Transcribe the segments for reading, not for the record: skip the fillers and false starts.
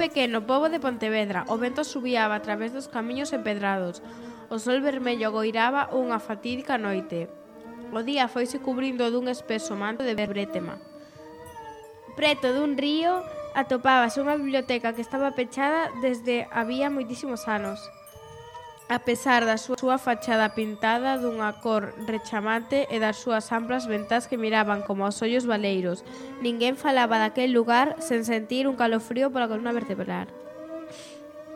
pequeno pobo de Pontevedra. O vento subiaba a través dos camiños empedrados. O sol vermello goiraba unha fatídica noite. O día foise cubrindo dun espeso manto de brétema. Preto dun río atopábase unha biblioteca que estaba pechada desde había moitísimos anos. A pesar da súa fachada pintada dunha cor rechamante e das súas amplas ventás que miraban como aos ollos baleiros, ninguén falaba daquel lugar sen sentir un calofrío pola columna vertebral.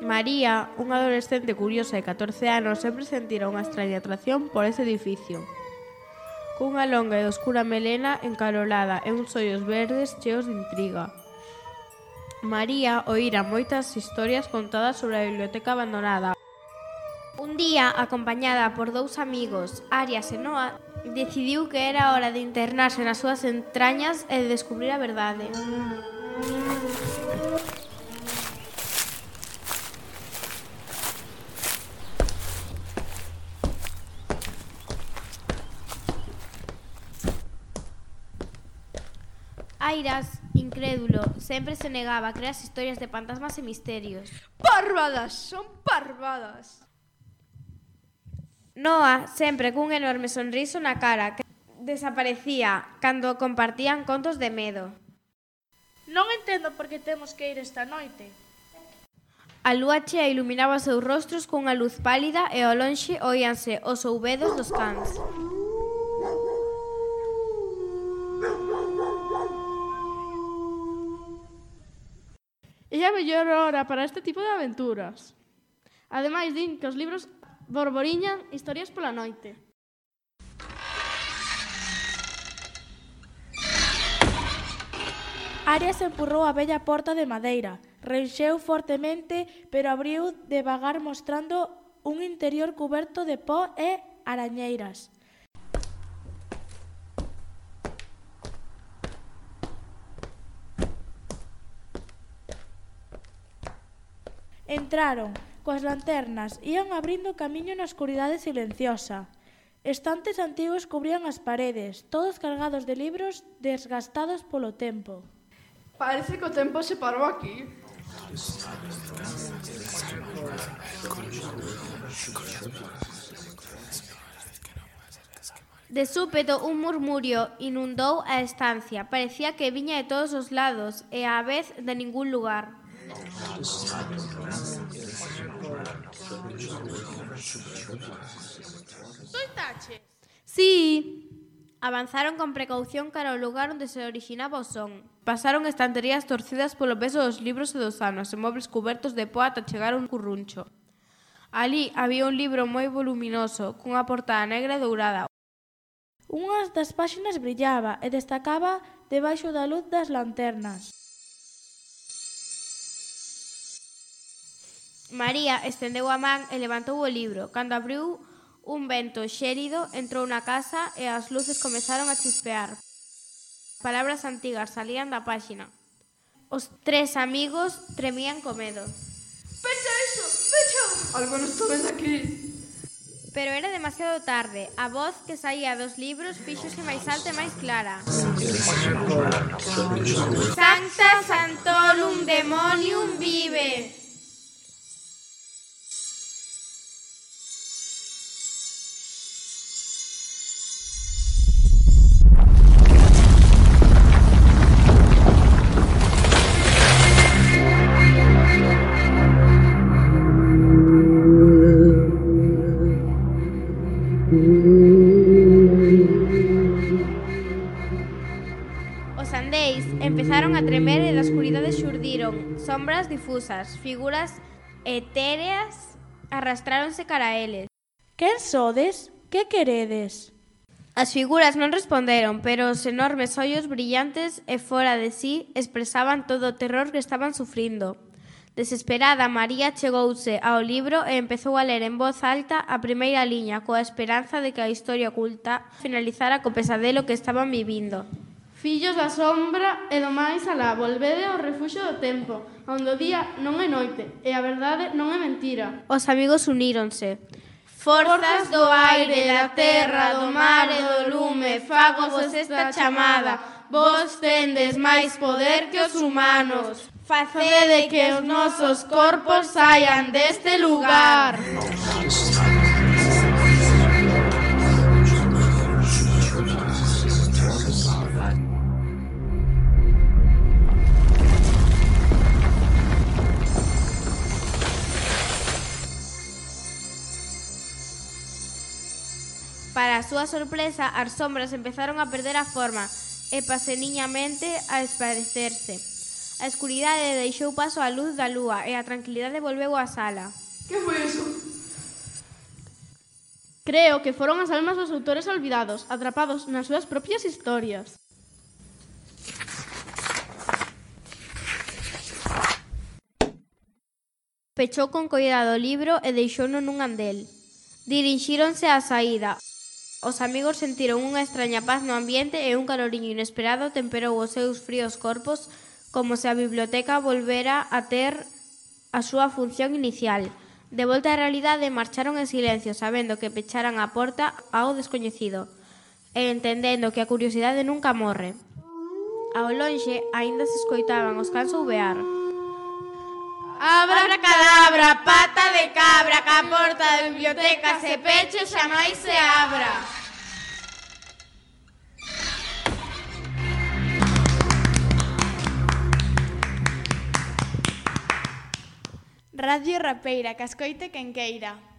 María, unha adolescente curiosa de 14 anos, sempre sentira unha extraña atracción por ese edificio. Cunha longa e oscura melena encarolada e uns ollos verdes cheos de intriga. María oíra moitas historias contadas sobre a biblioteca abandonada. Un día, acompañada por dous amigos, Arias e Noa, decidiu que era hora de internarse nas súas entrañas e de descubrir a verdade. Airas, incrédulo, sempre se negaba a crear historias de fantasmas e misterios. Parvadas, son parvadas! Noa, sempre cun enorme sonriso na cara, que desaparecía cando compartían contos de medo. Non entendo por que temos que ir esta noite. A lúa chea iluminaba os seus rostros cunha luz pálida e ao lonxe oíanse os ouvedos dos cans. É a mellor hora para este tipo de aventuras. Ademais, din que os libros borboriñan historias pola noite. Arias empurrou a bella porta de madeira, reixeu fortemente, pero abriu devagar mostrando un interior cuberto de pó e arañeiras. Entraron. Coas lanternas ían abrindo camiño na escuridade silenciosa. Estantes antigos cubrían as paredes, todos cargados de libros desgastados polo tempo. Parece que o tempo se parou aquí. De súpeto, un murmurio inundou a estancia. Parecía que viña de todos os lados e á vez de ningún lugar. Soitaches? Sí. Avanzaron con precaución cara ao lugar onde se originaba o son. Pasaron estanterías torcidas polo peso dos libros e dos anos e mobles cubertos de pó ata chegar a un curruncho. Alí había un libro moi voluminoso, cunha portada negra e dourada. Unhas das páxinas brillaba e destacaba debaixo da luz das lanternas. María estendeu a man e levantou o libro. Cando abriu un vento xérido, entrou na casa e as luces comezaron a chispear. Palabras antigas salían da páxina. Os tres amigos tremían co medo. Pecha iso, pecha! Algo non estou vendo aquí. Pero era demasiado tarde. A voz que saía dos libros fíxose máis alta e máis clara. Sancta Santorum Demonium vive! Os andeis empezaron a tremer e da escuridade xurdiron sombras difusas, figuras etéreas arrastráronse cara a eles. Quen sodes? Que queredes? As figuras non responderon, pero os enormes ollos brillantes e fora de sí expresaban todo o terror que estaban sufrindo. Desesperada, María chegouse ao libro e empezou a ler en voz alta a primeira liña, coa esperanza de que a historia oculta finalizara co pesadelo que estaban vivindo. Fillos da sombra e do máis alá, volvede ao refuxo do tempo, onde o día non é noite e a verdade non é mentira. Os amigos uníronse. Forzas do aire, da terra, do mar e do lume, fagos esta chamada. Vos tendes máis poder que os humanos. Facede que os nosos corpos saian deste lugar. Para a súa sorpresa, as sombras empezaron a perder a forma e paseniñamente a esparecerse. A escuridade deixou paso á luz da lúa e a tranquilidade volveu á sala. Que foi eso? Creo que foron as almas dos autores olvidados, atrapados nas súas propias historias. Pechou con coidado o libro e deixouno nun andel. Dirixíronse á saída. Os amigos sentiron unha extraña paz no ambiente e un caloriño inesperado temperou os seus fríos corpos como se a biblioteca volvera a ter a súa función inicial. De volta á realidade, marcharon en silencio, sabendo que pecharan a porta ao descoñecido e entendendo que a curiosidade nunca morre. Ao lonxe, aínda se escoitaban os cans ouvear. Abra cadabra, pata de cabra, que a porta da biblioteca se peche xa máis se abra. Radio Rapeira, que escoite quen queira.